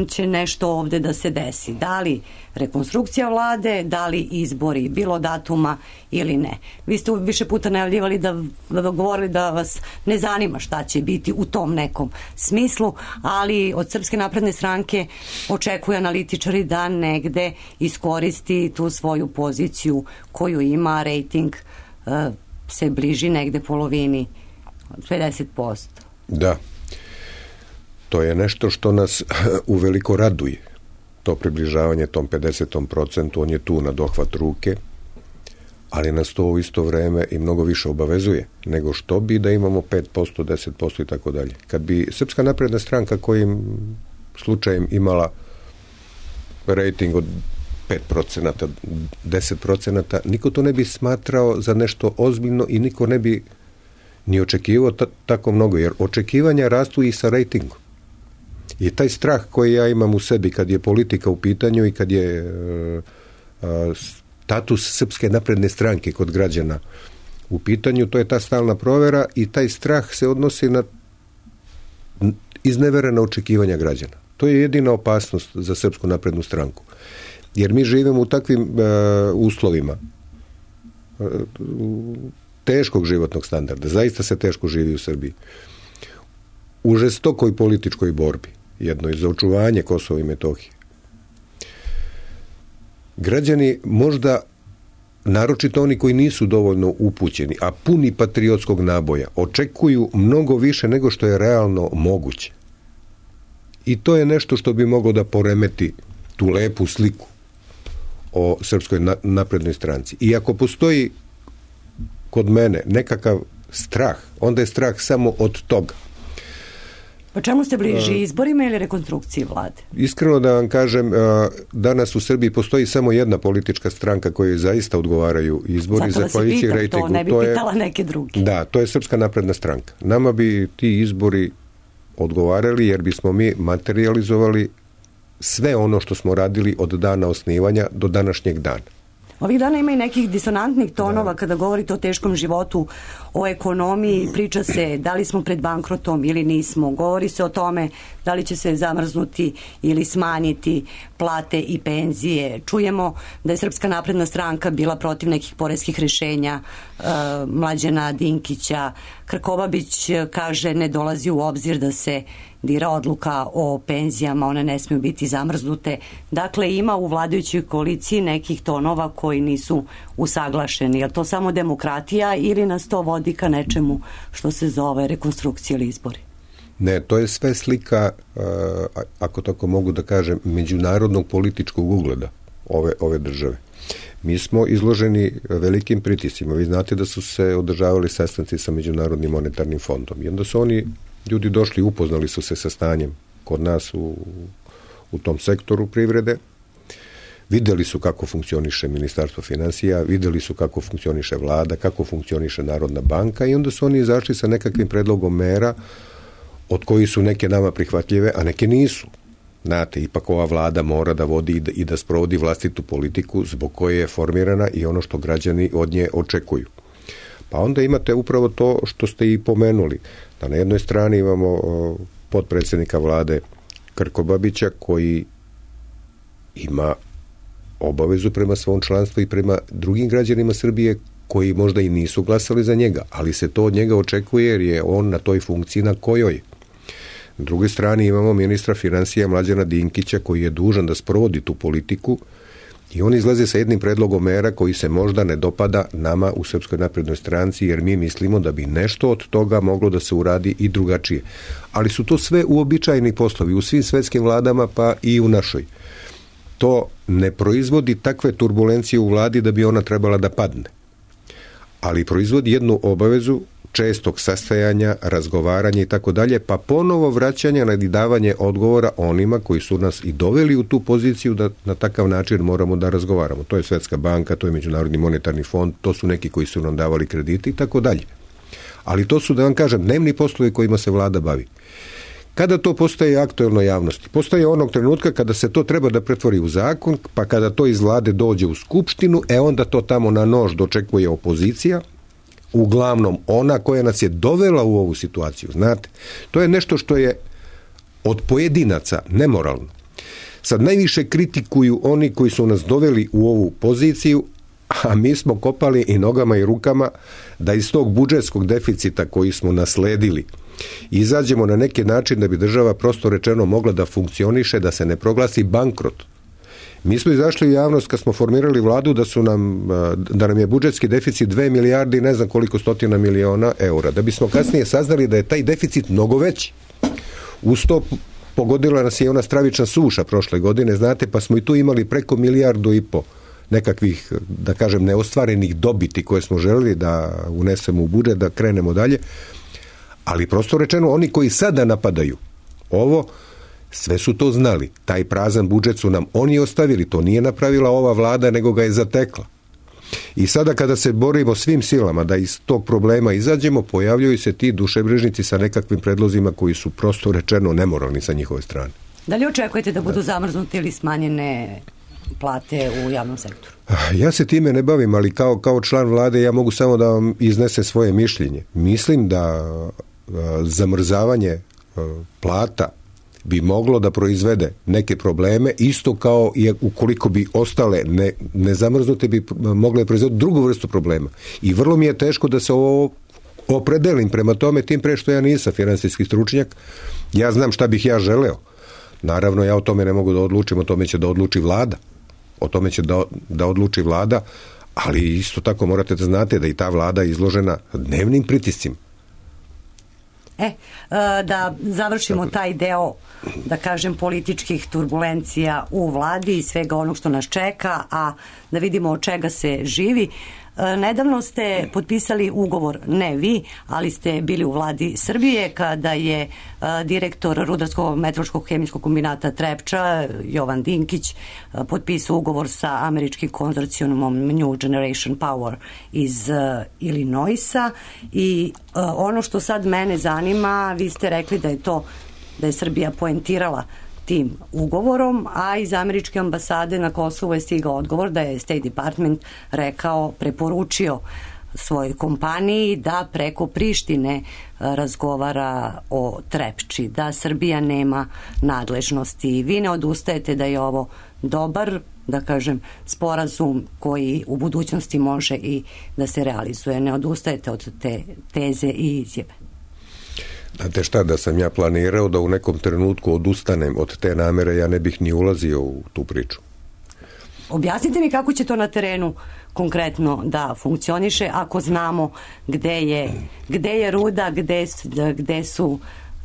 će nešto ovde da se desi. Da li rekonstrukcija vlade, da li izbori, bilo datuma ili ne. Vi ste više puta najavljivali da govorili da vas ne zanima šta će biti u tom nekom smislu, ali od Srpske napredne stranke očekuju analitičari da negde iskoristi tu svoju poziciju koju ima, rejting se bliži negde polovini, 50%. Da. To je nešto što nas uveliko raduje. To približavanje tom 50%, on je tu na dohvat ruke, ali nas to u isto vreme i mnogo više obavezuje nego što bi da imamo 5%, 10% i tako dalje. Kad bi Srpska napredna stranka kojim slučajem imala rating od 5%, 10%, niko to ne bi smatrao za nešto ozbiljno i niko ne bi ni očekivao tako mnogo, jer očekivanja rastu i sa ratingom. I taj strah koji ja imam u sebi kad je politika u pitanju i kad je status Srpske napredne stranke kod građana u pitanju, to je ta stalna provera i taj strah se odnosi na izneverena očekivanja građana. To je jedina opasnost za Srpsku naprednu stranku. Jer mi živimo u takvim uslovima teškog životnog standarda. Zaista se teško živi u Srbiji. U žestokoj političkoj borbi, jednoj za očuvanje Kosova i Metohije. Građani možda, naročito oni koji nisu dovoljno upućeni, a puni patriotskog naboja, očekuju mnogo više nego što je realno moguće. I to je nešto što bi moglo da poremeti tu lepu sliku o Srpskoj naprednoj stranci. I ako postoji kod mene nekakav strah, onda je strah samo od toga. Pa čemu ste bliži, izborima ili rekonstrukciji vlade? Iskreno da vam kažem, danas u Srbiji postoji samo jedna politička stranka kojoj zaista odgovaraju izbori. Zato da se pitam to, ne bi pitala neke druge. Da, to je Srpska napredna stranka. Nama bi ti izbori odgovarali jer bismo mi materijalizovali sve ono što smo radili od dana osnivanja do današnjeg dana. Ovih dana ima i nekih disonantnih tonova kada govorite o teškom životu, o ekonomiji, priča se da li smo pred bankrotom ili nismo, govori se o tome da li će se zamrznuti ili smanjiti plate i penzije. Čujemo da je Srpska napredna stranka bila protiv nekih poreskih rješenja Mlađana Dinkića. Krkobabić kaže ne dolazi u obzir da se dira odluka o penzijama, one ne smiju biti zamrznute. Dakle, ima u vladajućoj koaliciji nekih tonova koji nisu usaglašeni. Je li to samo demokratija ili nas to vodi ka nečemu što se zove rekonstrukcija ili izbori? Ne, to je sve slika, ako tako mogu da kažem, međunarodnog političkog ugleda ove države. Mi smo izloženi velikim pritiscima. Vi znate da su se održavali sastanci sa Međunarodnim monetarnim fondom. I onda su ljudi došli, upoznali su se sa stanjem kod nas u tom sektoru privrede. Videli su kako funkcioniše Ministarstvo finansija, videli su kako funkcioniše vlada, kako funkcioniše Narodna banka i onda su oni izašli sa nekakvim predlogom mera od kojih su neke nama prihvatljive, a neke nisu. Znate, ipak ova vlada mora da vodi i da sprovodi vlastitu politiku zbog koje je formirana i ono što građani od nje očekuju. Pa onda imate upravo to što ste i pomenuli. Da na jednoj strani imamo potpredsjednika vlade Krkobabića koji ima obavezu prema svom članstvu i prema drugim građanima Srbije koji možda i nisu glasali za njega, ali se to od njega očekuje jer je on na toj funkciji na kojoj. Na drugoj strani imamo ministra finansija Mlađana Dinkića koji je dužan da sprovodi tu politiku i on izlaze sa jednim predlogom mera koji se možda ne dopada nama u Srpskoj naprednoj stranci jer mi mislimo da bi nešto od toga moglo da se uradi i drugačije. Ali su to sve uobičajeni poslovi u svim svetskim vladama pa i u našoj. To ne proizvodi takve turbulencije u vladi da bi ona trebala da padne. Ali proizvodi jednu obavezu čestog sastajanja, razgovaranja i tako dalje, pa ponovo vraćanja na davanje odgovora onima koji su nas i doveli u tu poziciju da na takav način moramo da razgovaramo. To je Svetska banka, to je Međunarodni monetarni fond, to su neki koji su nam davali kredite i tako dalje. Ali to su, da vam kažem, dnevni poslovi kojima se vlada bavi. Kada to postaje aktuelno javnosti? Postaje onog trenutka kada se to treba da pretvori u zakon, pa kada to iz vlade dođe u skupštinu, onda to tamo na nož dočekuje opozicija, uglavnom ona koja nas je dovela u ovu situaciju. Znate, to je nešto što je od pojedinaca nemoralno. Sad najviše kritikuju oni koji su nas doveli u ovu poziciju, a mi smo kopali i nogama i rukama da iz tog budžetskog deficita koji smo nasledili izađemo na neki način da bi država prosto rečeno mogla da funkcioniše, da se ne proglasi bankrot. Mi smo izašli u javnost kad smo formirali vladu da nam je budžetski deficit 2 milijarde i ne znam koliko stotina miliona eura. Da bismo kasnije saznali da je taj deficit mnogo veći. Uz to pogodila nas je ona stravična suša prošle godine, znate, pa smo i tu imali preko 1,5 milijarde nekakvih, da kažem, neostvarenih dobiti koje smo želeli da unesemo u budžet, da krenemo dalje. Ali prosto rečeno, oni koji sada napadaju ovo, sve su to znali. Taj prazan budžet su nam oni ostavili. To nije napravila ova vlada, nego ga je zatekla. I sada kada se borimo svim silama da iz tog problema izađemo, pojavljuju se ti dušebrižnici sa nekakvim predlozima koji su prosto rečeno nemoralni sa njihove strane. Da li očekujete da budu zamrznute ili smanjene plate u javnom sektoru? Ja se time ne bavim, ali kao član vlade ja mogu samo da vam iznesem svoje mišljenje. Mislim da zamrzavanje plata bi moglo da proizvede neke probleme, isto kao i ukoliko bi ostale nezamrznute bi mogle proizvoditi drugu vrstu problema. I vrlo mi je teško da se ovo opredelim prema tome, tim pre što ja nisam finansijski stručnjak. Ja znam šta bih ja želeo. Naravno, ja o tome ne mogu da odlučim, o tome će da odluči vlada. O tome će da odluči vlada, ali isto tako morate da znate da i ta vlada je izložena dnevnim pritiscima. Da završimo taj deo, da kažem, političkih turbulencija u vladi i svega onog što nas čeka, a da vidimo od čega se živi. Nedavno ste potpisali ugovor, ne vi, ali ste bili u vladi Srbije kada je direktor Rudarskog metalurškog hemijskog kombinata Trepča, Jovan Dinkić, potpisao ugovor sa američkim konzorcijumom New Generation Power iz Illinoisa. I ono što sad mene zanima, vi ste rekli da je Srbija poentirala tim ugovorom, a iz američke ambasade na Kosovu je stigao odgovor da je State Department preporučio svojoj kompaniji da preko Prištine razgovara o Trepči, da Srbija nema nadležnosti. Vi ne odustajete da je ovo dobar, da kažem, sporazum koji u budućnosti može i da se realizuje. Ne odustajete od te teze i izjave. Znate šta, da sam ja planirao da u nekom trenutku odustanem od te namere, ja ne bih ni ulazio u tu priču. Objasnite mi kako će to na terenu konkretno da funkcioniše, ako znamo gde je ruda,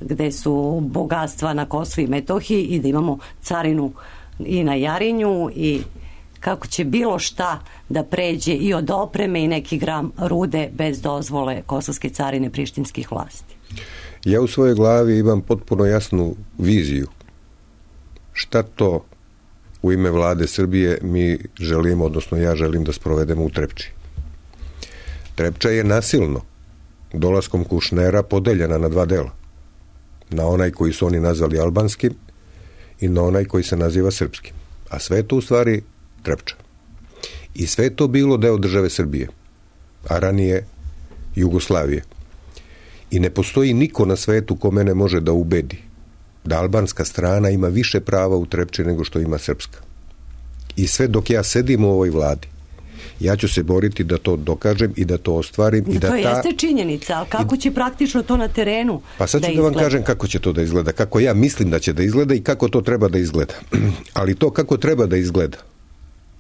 gde su bogatstva na Kosovu i Metohiji i da imamo carinu i na Jarinju i kako će bilo šta da pređe i od opreme i neki gram rude bez dozvole kosovske carine prištinskih vlasti. Ja u svojoj glavi imam potpuno jasnu viziju šta to u ime vlade Srbije mi želimo, odnosno ja želim da sprovedemo u Trepči. Trepča je nasilno dolaskom Kušnera podeljena na dva dela. Na onaj koji su oni nazvali albanskim i na onaj koji se naziva srpskim. A sve to u stvari Trepča. I sve to bilo deo države Srbije, a ranije Jugoslavije. I ne postoji niko na svetu ko mene može da ubedi da albanska strana ima više prava u Trepči nego što ima srpska. I sve dok ja sedim u ovoj vladi, ja ću se boriti da to dokažem i da to ostvarim. To jeste činjenica, ali kako će praktično to na terenu pa sad ću da vam kažem kako će to da izgleda, kako ja mislim da će da izgleda i kako to treba da izgleda. Ali to kako treba da izgleda,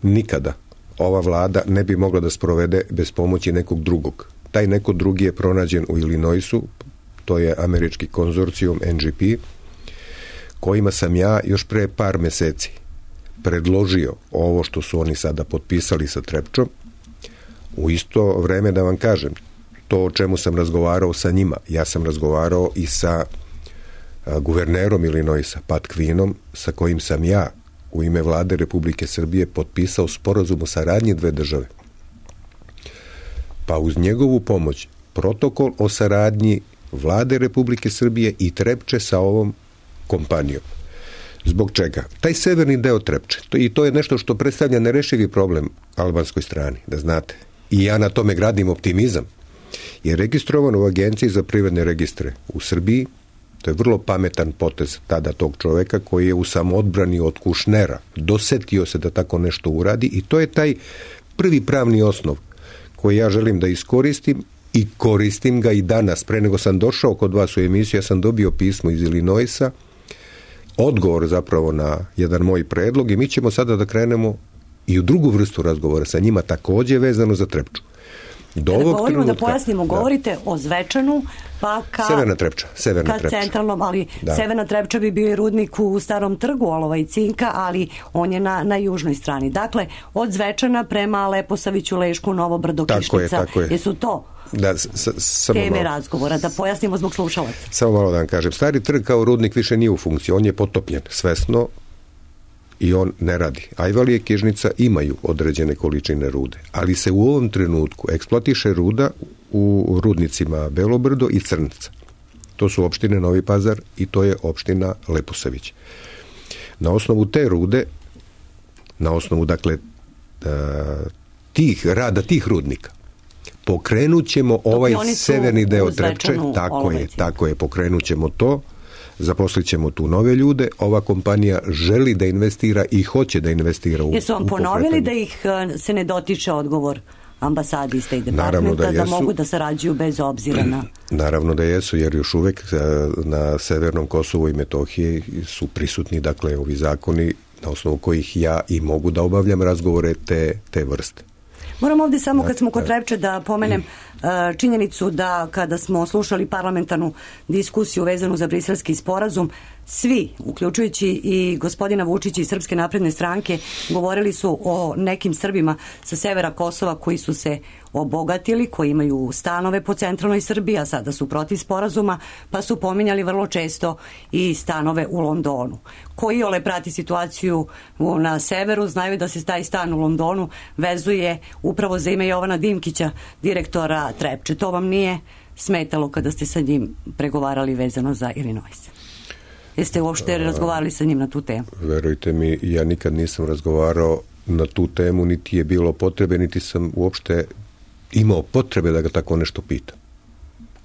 nikada ova vlada ne bi mogla da sprovede bez pomoći nekog drugog. Taj neko drugi je pronađen u Illinoisu, to je američki konzorcijum NGP, kojima sam ja još pre par meseci predložio ovo što su oni sada potpisali sa Trepčom. U isto vreme da vam kažem, to o čemu sam razgovarao sa njima, ja sam razgovarao i sa guvernerom Illinoisa, Pat Quinom, sa kojim sam ja u ime vlade Republike Srbije potpisao sporazum o saradnji dve države. Pa uz njegovu pomoć protokol o saradnji vlade Republike Srbije i Trepče sa ovom kompanijom. Zbog čega? Taj severni deo Trepče, i to je nešto što predstavlja nerešivi problem albanskoj strani, da znate. I ja na tome gradim optimizam. Je registrovan u Agenciji za privredne registre u Srbiji. To je vrlo pametan potez tada tog čoveka koji je u samoodbrani od Kušnera dosetio se da tako nešto uradi i to je taj prvi pravni osnov koji ja želim da iskoristim i koristim ga i danas. Pre nego sam došao kod vas u emisiju, ja sam dobio pismo iz Illinoisa, odgovor zapravo na jedan moj predlog i mi ćemo sada da krenemo i u drugu vrstu razgovora sa njima takođe vezano za Trepču. Do Kada ovog govorimo, trenutka, da pojasnimo, govorite o Zvečanu, pa Severna Trepča. centralnom, ali Severna Trepča bi bio i rudnik u Starom trgu olova i cinka, ali on je na južnoj strani. Dakle, od Zvečana prema Leposaviću, Lešku, Novo Brdo, Kišnica. Tako je. Jesu to teme razgovora, da pojasnimo zbog slušalaca? Samo malo da vam kažem. Stari trg kao rudnik više nije u funkciji. On je potopljen svesno i on ne radi. Ajvalije, Kižnica imaju određene količine rude, ali se u ovom trenutku eksploatiše ruda u rudnicima Belobrdo i Crnca. To su opštine Novi Pazar i to je opština Leposavić. Na osnovu te rude, na osnovu dakle tih rudnika, pokrenut ćemo ovaj severni deo Trepče, tako je, pokrenut ćemo to, zaposlit ćemo tu nove ljude, ova kompanija želi da investira i hoće da investira u Jesu vam ponovili da ih se ne dotiče odgovor ambasadi State Departmenta, da mogu da sarađuju bez obzira na... Naravno da jesu, jer još uvek na severnom Kosovu i Metohiji su prisutni, dakle, ovi zakoni na osnovu kojih ja i mogu da obavljam razgovore te vrste. Moram ovdje samo kad smo kod Trepče da pomenem činjenicu da kada smo slušali parlamentarnu diskusiju vezanu za briselski sporazum, svi, uključujući i gospodina Vučića iz Srpske napredne stranke, govorili su o nekim Srbima sa severa Kosova koji su se obogatili, koji imaju stanove po centralnoj Srbiji, a sada su protiv sporazuma, pa su pominjali vrlo često i stanove u Londonu. Koji ole prati situaciju na severu, znaju da se taj stan u Londonu vezuje upravo za ime Jovana Dimkića, direktora Trepče. To vam nije smetalo kada ste sa njim pregovarali vezano za Illinois? Jeste uopšte razgovarali sa njim na tu temu? Verujte mi, ja nikad nisam razgovarao na tu temu, niti je bilo potrebe, niti sam uopšte imao potrebe da ga tako nešto pitam.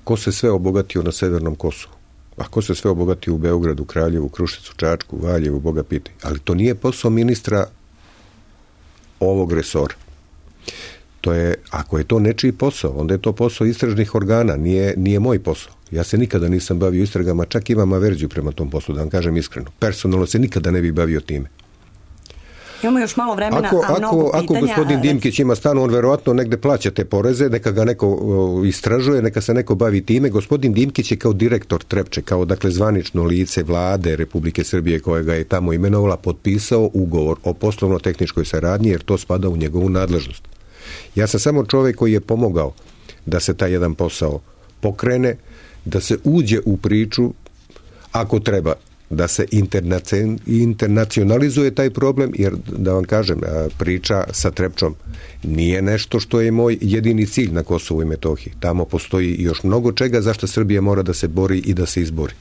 Ko se sve obogatio na severnom Kosovu? A ko se sve obogatio u Beogradu, Kraljevu, Kruševcu, Čačku, Valjevu, Boga pitaj. Ali to nije posao ministra ovog resora. To je, ako je to nečiji posao, onda je to posao istražnih organa, nije moj posao. Ja se nikada nisam bavio istragama, čak imam averziju prema tom poslu, da vam kažem iskreno. Personalno se nikada ne bih bavio time. Imamo još malo vremena, a mnogo pitanja. Ako gospodin Dimkić ima stan, on verovatno negde plaća te poreze, neka ga neko istražuje, neka se neko bavi time. Gospodin Dimkić je kao direktor Trepče, kao dakle zvanično lice vlade Republike Srbije koja ga je tamo imenovala, potpisao ugovor o poslovno-tehničkoj saradnji, jer to spada u njegovu nadležnost. Ja sam samo čovjek koji je pomogao da se taj jedan posao pokrene, da se uđe u priču, ako treba, da se internacionalizuje taj problem, jer da vam kažem, priča sa Trepčom nije nešto što je moj jedini cilj na Kosovu i Metohiji. Tamo postoji još mnogo čega zašto Srbija mora da se bori i da se izbori.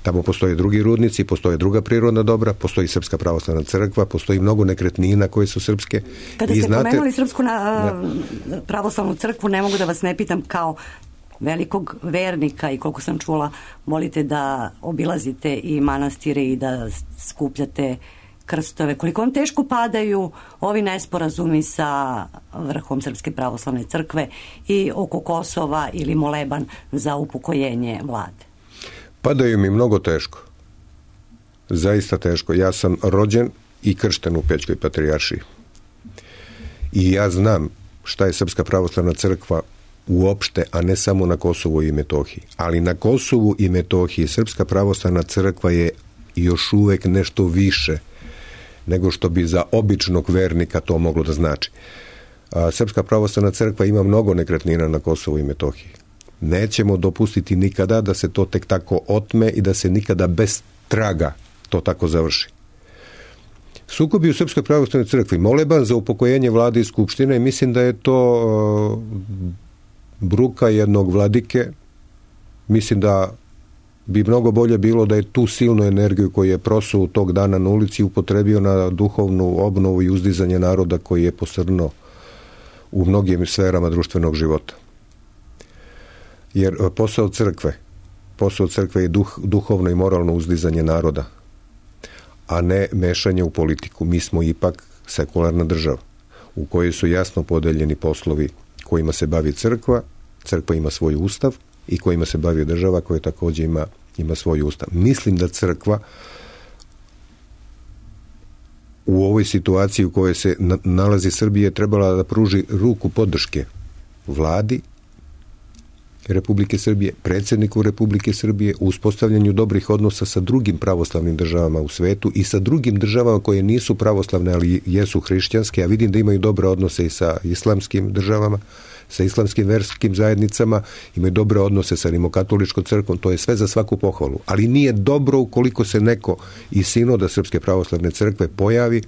Tamo postoje drugi rudnici, postoje druga prirodna dobra, postoji Srpska pravoslavna crkva, postoji mnogo nekretnina koje su srpske. Kada ste pomenuli Srpsku pravoslavnu crkvu, ne mogu da vas ne pitam kao velikog vernika i koliko sam čula, volite da obilazite i manastire i da skupljate krstove. Koliko vam teško padaju ovi nesporazumi sa vrhom Srpske pravoslavne crkve i oko Kosova ili moleban za upokojenje vlade? Padaju mi mnogo teško. Zaista teško. Ja sam rođen i kršten u Pećkoj patrijaršiji. I ja znam šta je Srpska pravoslavna crkva uopšte, a ne samo na Kosovu i Metohiji. Ali na Kosovu i Metohiji Srpska pravoslavna crkva je još uvek nešto više nego što bi za običnog vernika to moglo da znači. Srpska pravoslavna crkva ima mnogo nekretnina na Kosovu i Metohiji. Nećemo dopustiti nikada da se to tek tako otme i da se nikada bez traga to tako završi. Sukobi u Srpskoj pravoslavnoj crkvi, moleban za upokojenje vlade i skupštine, mislim da je to bruka jednog vladike. Mislim da bi mnogo bolje bilo da je tu silnu energiju koju je prosuo tog dana na ulici upotrebio na duhovnu obnovu i uzdizanje naroda koji je posrnuo u mnogim sferama društvenog života. Jer posao crkve je duhovno i moralno uzdizanje naroda, a ne mešanje u politiku. Mi smo ipak sekularna država u kojoj su jasno podeljeni poslovi kojima se bavi crkva. Crkva ima svoj ustav i kojima se bavi država koja također ima svoj ustav. Mislim da crkva u ovoj situaciji u kojoj se nalazi Srbija trebala da pruži ruku podrške vladi Republike Srbije, predsjedniku Republike Srbije, u uspostavljanju dobrih odnosa sa drugim pravoslavnim državama u svetu i sa drugim državama koje nisu pravoslavne, ali jesu hrišćanske, a vidim da imaju dobre odnose i sa islamskim državama, sa islamskim verskim zajednicama, imaju dobre odnose sa rimokatoličkom crkvom, to je sve za svaku pohvalu. Ali nije dobro ukoliko se neko iz sinoda Srpske pravoslavne crkve pojavi,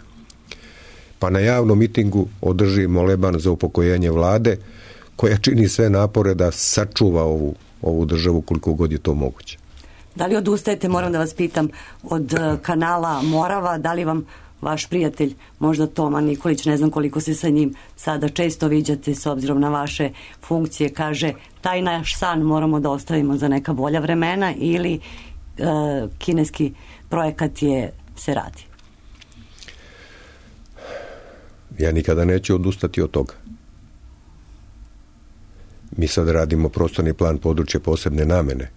pa na javnom mitingu održi moleban za upokojenje vlade, koja čini sve napore da sačuva ovu državu koliko god je to moguće. Da li odustajete, moram da vas pitam, od kanala Morava, da li vam vaš prijatelj, možda Toma Nikolić, ne znam koliko se sa njim sada često viđate s obzirom na vaše funkcije, kaže taj naš san moramo da ostavimo za neka bolja vremena, ili kineski projekat se radi? Ja nikada neću odustati od toga. Mi sad radimo prostorni plan područja posebne namene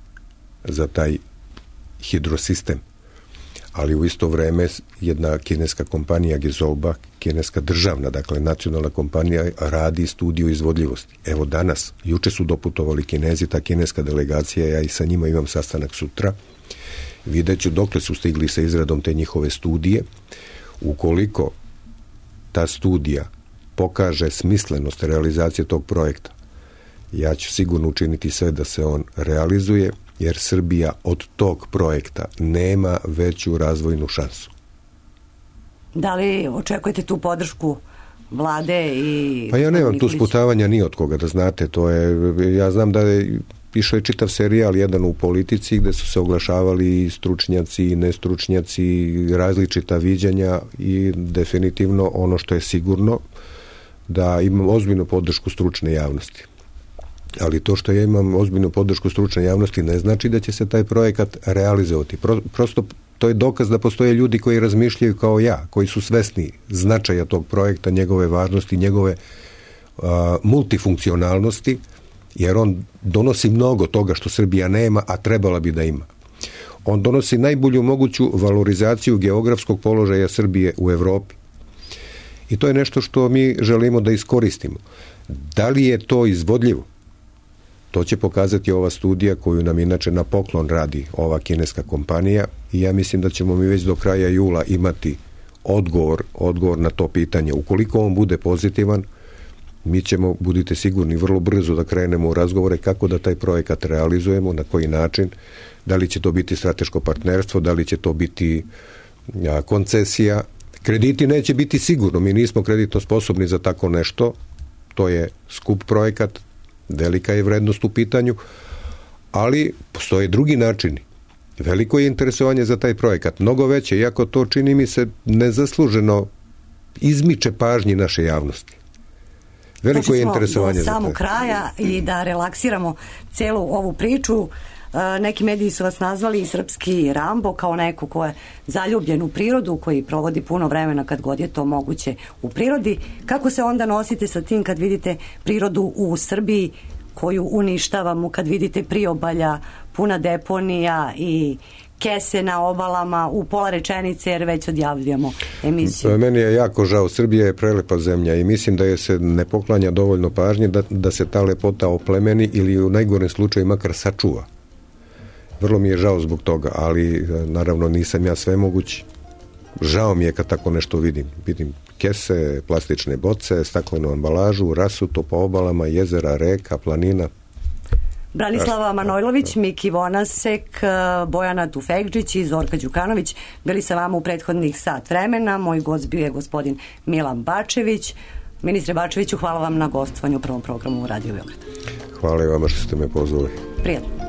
za taj hidrosistem, ali u isto vreme jedna kineska kompanija Gezolba, kineska državna, dakle nacionalna kompanija, radi studiju izvodljivosti. Evo danas, juče su doputovali Kinezi, ta kineska delegacija, ja i sa njima imam sastanak sutra, vidjet ću dokle su stigli sa izradom te njihove studije. Ukoliko ta studija pokaže smislenost realizacije tog projekta, ja ću sigurno učiniti sve da se on realizuje, jer Srbija od tog projekta nema veću razvojnu šansu. Da li očekujete tu podršku vlade i... Pa ja nemam tu sputavanja ni od koga, da znate, to je, ja znam da je išao je čitav serijal jedan u Politici gde su se oglašavali i stručnjaci i nestručnjaci, različita viđanja, i definitivno ono što je sigurno da imam ozbiljnu podršku stručne javnosti. Ali to što ja imam ozbiljnu podršku stručne javnosti ne znači da će se taj projekat realizovati. Prosto to je dokaz da postoje ljudi koji razmišljaju kao ja, koji su svesni značaja tog projekta, njegove važnosti, njegove multifunkcionalnosti, jer on donosi mnogo toga što Srbija nema, a trebala bi da ima. On donosi najbolju moguću valorizaciju geografskog položaja Srbije u Evropi. I to je nešto što mi želimo da iskoristimo. Da li je to izvodljivo? To će pokazati ova studija koju nam inače na poklon radi ova kineska kompanija, i ja mislim da ćemo mi već do kraja jula imati odgovor na to pitanje. Ukoliko on bude pozitivan, mi ćemo, budite sigurni, vrlo brzo da krenemo u razgovore kako da taj projekat realizujemo, na koji način, da li će to biti strateško partnerstvo, da li će to biti koncesija. Krediti neće biti sigurno, mi nismo kreditno sposobni za tako nešto, to je skup projekat, velika je vrednost u pitanju, ali postoje drugi načini. Veliko je interesovanje za taj projekat, mnogo veće, iako to čini mi se nezasluženo izmiče pažnji naše javnosti. Veliko je interesovanje za to. Do samog kraja i da relaksiramo celu ovu priču, neki mediji su vas nazvali i srpski Rambo, kao neko ko je zaljubljen u prirodu, koji provodi puno vremena kad god je to moguće u prirodi. Kako se onda nosite sa tim kad vidite prirodu u Srbiji koju uništavamo, kad vidite priobalja puna deponija i kese na obalama, u pola rečenice, jer već odjavljujemo emisiju? Meni je jako žao, Srbija je prelepa zemlja i mislim da je se ne poklanja dovoljno pažnje da se ta lepota oplemeni ili u najgorem slučaju makar sačuva. Vrlo mi je žao zbog toga, ali naravno nisam ja svemoguć. Žao mi je kad tako nešto vidim. Vidim kese, plastične boce, staklenu ambalažu, rasuto po obalama, jezera, reka, planina. Branislava Manojlović, Miki Vonasek, Bojana Tufekđić i Zorka Đukanović bili sa vama u prethodnih sat vremena. Moj gost bio je gospodin Milan Bačević. Ministre Bačeviću, hvala vam na gostovanju u prvom programu u Radio Beograd. Hvala i vama što ste me pozvali. Prijatno.